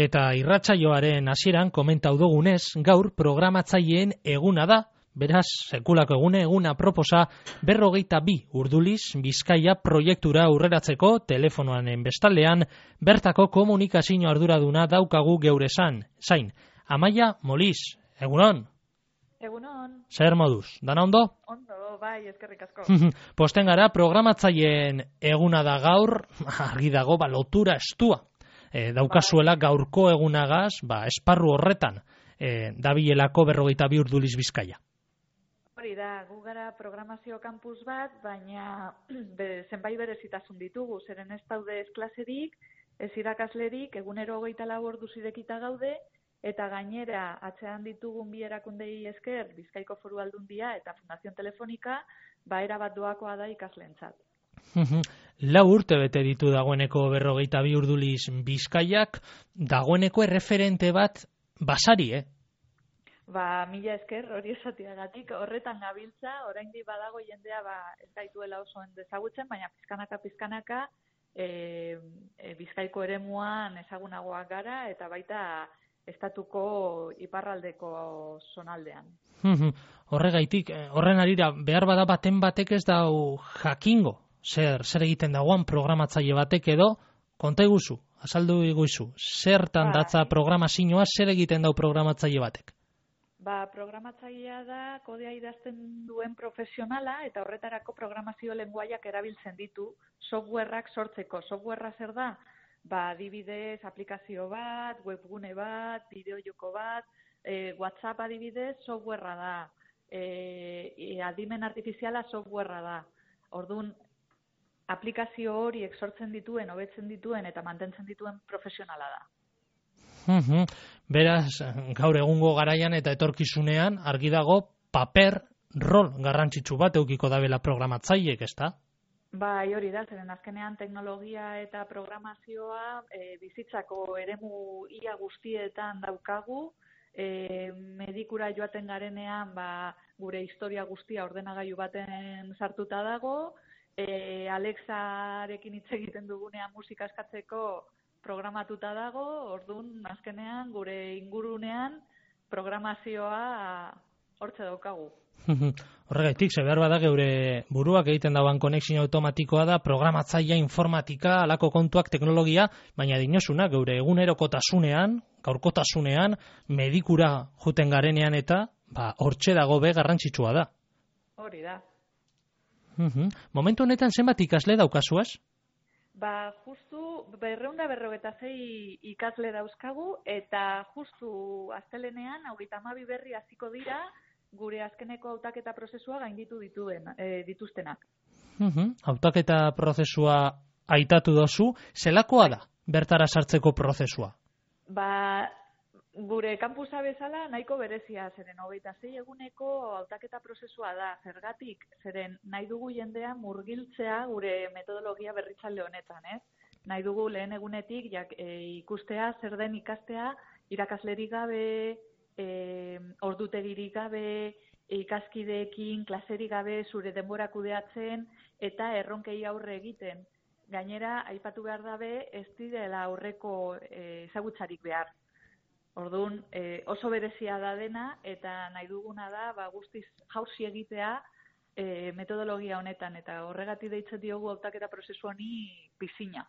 Eta irratsaioaren hasieran komentau dugunez, gaur programatzaileen eguna da, beraz, sekulako eguna proposa 42 urduliz Bizkaia proiektura aurreratzeko telefonoanen bestaldean bertako komunikazio arduraduna daukagu geure zain. Amaia Moliz, egunon? Egunon. Zer moduz, dana ondo? Ondo, bai, eskerrik asko. Posten gara, programatzaileen eguna da gaur, argi dago, lotura estua. Daukazuela gaurko egunagaz, esparru horretan, dabilelako 42 urduliz Bizkaia. Hori da, gu gara programazio kampus bat, baina zenbait berezitasun ditugu, zeren ez daude ez klaserik, ez irakaslerik, egunero 24 orduz irekita gaude, eta gainera atzean ditugun bi erakundei esker, Bizkaiko Foru Aldundia eta Fundación Telefonika, erabat doakoa da ikasleentzat. 4 urte bete ditu dagoeneko 42 urduliz Bizkaiak, dagoeneko erreferente bat basari, Mila esker hori esatiagatik, horretan gabiltza, oraindik badago jendea ez gaituela oso ezagutzen, baina pizkanaka Bizkaiko eremuan ezagunagoak gara eta baita estatuko iparraldeko zonaldean. Horregaitik, horren arira, behar bada baten batek ez dau jakingo, zer egiten dagoan programatzaile batek edo, konta iguzu, azaldu iguzu, zertan datza programazioa, zer egiten dau programatzaile batek? Programatzailea da kodea idazten duen profesionala eta horretarako programazio lenguaiak erabiltzen ditu softwareak sortzeko. Softwarea zer da? Adibidez, aplikazio bat, webgune bat, bideojoko bat, WhatsApp adibidez, softwarea da. Adimen artifiziala softwarea da. Orduan, aplikazio horiek sortzen dituen, hobetzen dituen eta mantentzen dituen profesionala da. Beraz, gaur egungo garaian eta etorkizunean, argi dago, paper rol garrantzitsu bat eukiko dabela programatzaileek, ezta? Hori da, zeren azkenean teknologia eta programazioa bizitzako eremu ia guztietan daukagu, medikura joaten garenean gure historia guztia ordenagailu baten sartuta dago, Alexarekin hitz egiten dugunean musika eskatzeko programatuta dago, orduan azkenean gure ingurunean programazioa hortze daukagu. Horregaitik, behar bada geure buruak egiten dagoen konexio automatikoa da, programatzailea, informatika, alako kontuak, teknologia, baina dinosuna, geure egunerokotasunean, gaurkotasunean, medikura juten garenean eta, hortxe dago garrantzitsua da. Hori da. Momentu honetan zenbat ikasle daukazuaz? Justu 256 ikasle dauzkagu eta justu astelenenean 32 berri hasiko dira gure azkeneko hautaketa prozesua gainditu dituztenak. Hautaketa prozesua aitatu dozu, zelakoa da bertara sartzeko prozesua? Gure kampusa bezala nahiko berezia, zeren 26 eguneko hautaketa prozesua da, zergatik, zeren nahi dugu jendea murgiltzea gure metodologia berritzaile honetan, Nahi dugu lehen egunetik ikustea, zer den ikastea, irakaslerik gabe, ordutegirik gabe, ikaskideekin, klaserik gabe, zure denbora kudeatzen eta erronkei aurre egiten. Gainera, aipatu behar dabe, ez direla aurreko ezagutzarik behar. Orduan, oso berezia da dena eta nahi duguna da guztiz jauzi egitea metodologia honetan eta horregatik deitzen diogu hautaketa prozesu honi pisina.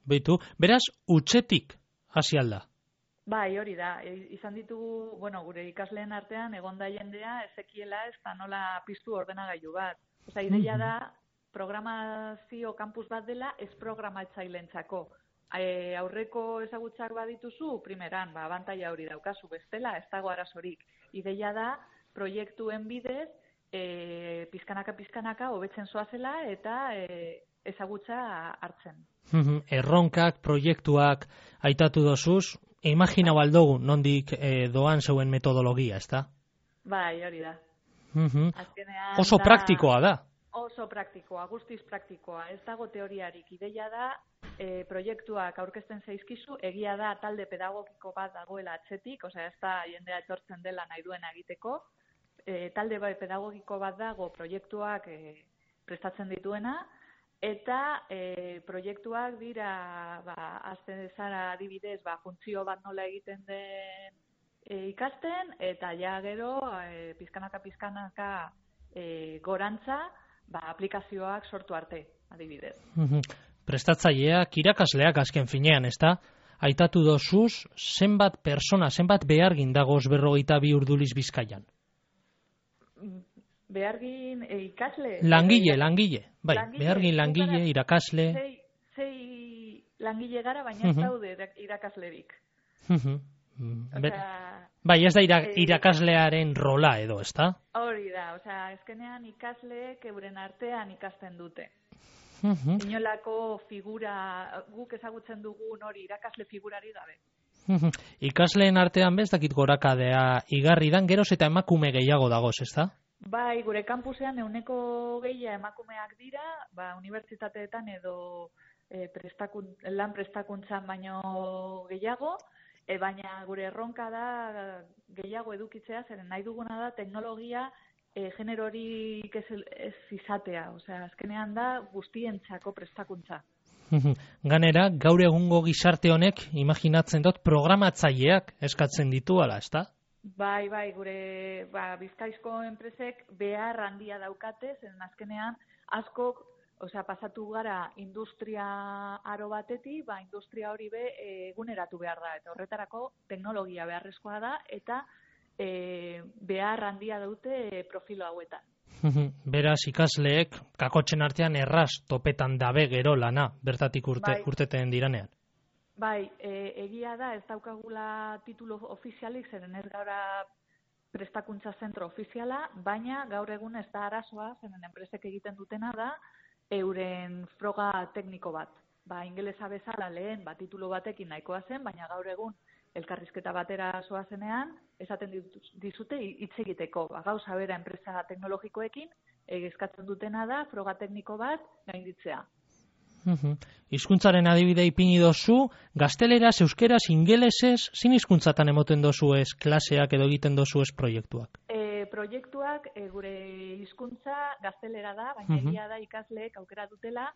Beitu, beraz, utzetik hasi alda? Hori da. Izan ditugu, gure ikasleen artean egonda jendea ezekiela ez da nola piztu ordenagailu bat. Ideia da programazio kampus bat dela ez programatzaileentzako. Aurreko ezagutzak badituzu, primeran, abantaila hori daukazu, bestela, ez dago arazorik. Ideia da, proiektuen bidez, pizkanaka hobetzen zoazela eta ezagutza hartzen. Erronkak, proiektuak aitatu dozuz, imaginau aldogu nondik doan zeuen metodologia, ezta? Hori da. Oso praktikoa da. Oso praktikoa, guztiz praktikoa. Ez dago teoriarik. Ideia da, proiektuak aurkezten zaizkizu, egia da talde pedagogiko bat dagoela atzetik, ez da jendea etortzen dela nahi duena egiteko, talde pedagogiko bat dago proiektuak prestatzen dituena, eta proiektuak dira, azten zara adibidez, funtzio bat nola egiten den ikasten, eta ja gero, pizkanaka gorantza, aplikazioak sortu arte, adibidez. Prestatzaileak, irakasleak azken finean, ezta? Aitatu dozuz, zenbat persona, zenbat behargin dagoz 42 urduliz Bizkaian? Behargin ikasle? Langile. Bai, behargin langile, irakasle. Sei langile gara, baina ez daude irakaslerik. Bai, ez da irakaslearen rola edo, ezta? Hori da, azkenean ikasleek euren artean ikasten dute. Inolako figura, guk ezagutzen dugun hori irakasle figurari gabe. Ikasleen artean bezakit gorakadea igarri dan, geroz eta emakume gehiago dagoz, ezta? Bai, gure kampusean 100% emakumeak dira, unibertsitateetan edo lan prestakuntzan baino gehiago, baina gure erronka da gehiago edukitzea, zeren nahi duguna da teknologia generorik ez izatea, azkenean da guztientzako prestakuntza. Ganera, gaur egungo gizarte honek, imaginatzen dut, programatzaileak eskatzen dituala, ezta? Bai, gure Bizkaizko enpresek behar handia daukate, zeren azkenean askok, pasatu gara industria aro batetik, industria hori eguneratu behar da, eta horretarako teknologia beharrezkoa da, eta behar handia dute profilo hauetan. Beraz, ikasleek, kakotzen artean erraz topetan dabe gero lana, bertatik urteten diranean. Bai, egia da, ez daukagula titulo ofizialik, zeren ez gaura prestakuntza zentro ofiziala, baina gaur egun ez da arazoa, zeren enpresek egiten dutena da, euren froga tekniko bat. Ingelesa bezala lehen, titulo batekin nahikoa zen, baina gaur egun elkarrizketa batera zoazenean, esaten dizute hitz egiteko. Gauza bera enpresa teknologikoekin, eskatzen dutena da, froga tekniko bat gainditzea. Hizkuntzaren adibide ipini dozu, gazteleraz, euskeraz, ingelesez, zin hizkuntzatan emoten dozu ez klaseak edo egiten dozu ez proiektuak? Proiektuak gure hizkuntza gaztelera da, baina egia da ikasleek aukera dutela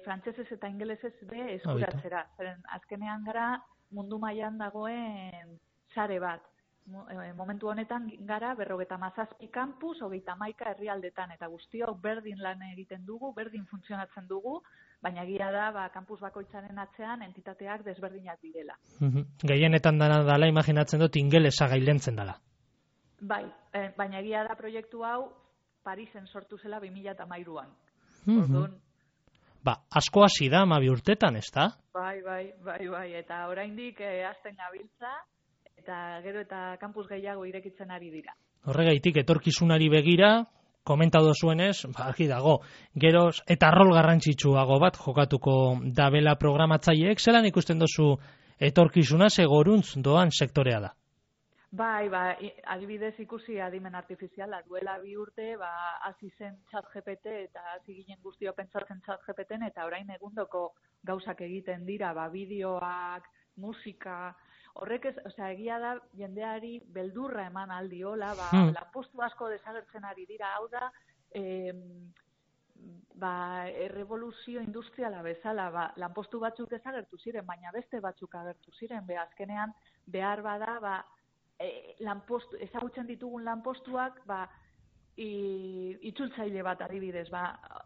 frantsesez eta ingelesez eskuratzera. Zeren azkenean gara mundu mailan dagoen sare bat. Momentu honetan gara 57 kampus, 31 herrialdetan, eta guztiok berdin lan egiten dugu, berdin funtzionatzen dugu, baina egia da kampus bakoitzaren atzean entitateak desberdinak direla. Gehienetan dela imaginatzen dut ingelesa gailentzen dela. Bai, baina egia da proiektu hau Parisen sortu zela 2013an. Orduan, asko hasi da 12 urtetan, ezta? Bai, eta oraindik hasten gabiltza, eta gero eta kampus gehiago irekitzen ari dira. Horregaitik, etorkizunari begira, komentatu zuenez, argi dago, geroz, eta rol garrantzitsuago bat jokatuko dabela programatzaileek, zelan ikusten duzu etorkizuna segoruntz doan sektorea da? Bai, adibidez ikusi adimen artifiziala, duela 2 urte, hasi zen ChatGPT eta hasi ginen guztio pentsatzen ChatGPTen, eta orain egundoko gauzak egiten dira, bideoak, musika, horrek egia da jendeari beldurra eman aldiola, lanpostu asko desagertzen ari dira, hau da, errevoluzio industriala bezala, lanpostu batzuk desagertu ziren, baina beste batzuk agertu ziren, azkenean behar bada, ezagutzen ditugun lanpostuak, itzultzaile bat adibidez,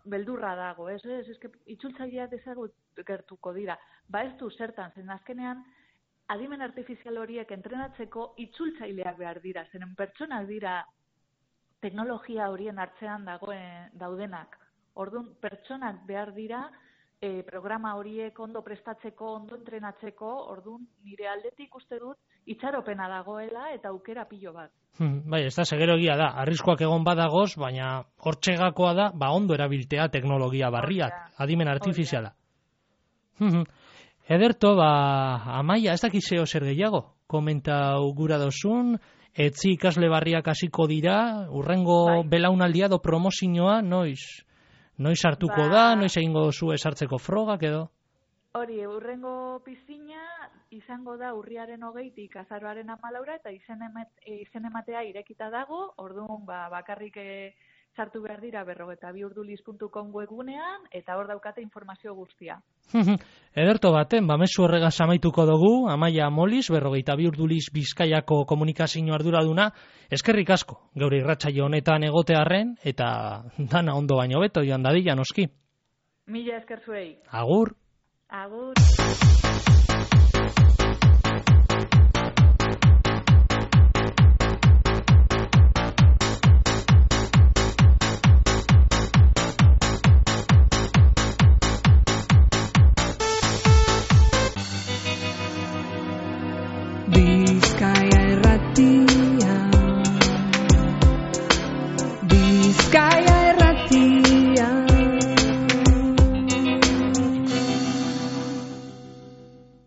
beldurra dago, itzultzaileak desagertuko dira, ez du zertan, zen azkenean, adimen artifizial horiek entrenatzeko itzultzaileak behar dira, zeren pertsonak dira teknologia horien artzean daudenak. Orduan, pertsonak behar dira programa horiek ondo prestatzeko, ondo entrenatzeko, orduan nire aldetik uste dut itxaropena dagoela eta aukera pilo bat. Bai, ez da, segero egia da, arriskuak egon badagoz, baina hortxegakoa da, ondo erabiltea teknologia barriak, adimen artifiziala. Ederto, Amaia, ez dakizeo zer gehiago, komenta gura dozun, etzi ikasle barriak hasiko dira, urrengo belaunaldia do promozioa, noiz hartuko da, noiz egingo zu esartzeko frogak edo? Hori, urrengo pizina izango da urriaren 20tik azaroaren 14 eta izen ematea irekita dago, orduan bakarrik sartu behar dira 42urduliz.com webgunean, eta hor daukate informazio guztia. Ederto baten, mezu horregaz amaituko dugu, Amaia Moliz, 42 urduliz Bizkaiako komunikazio arduraduna, eskerrik asko, geure irratsaio honetan egotearren, eta dana ondo baino beto, joan dadila noski. Mila esker zuei. Agur. Agur.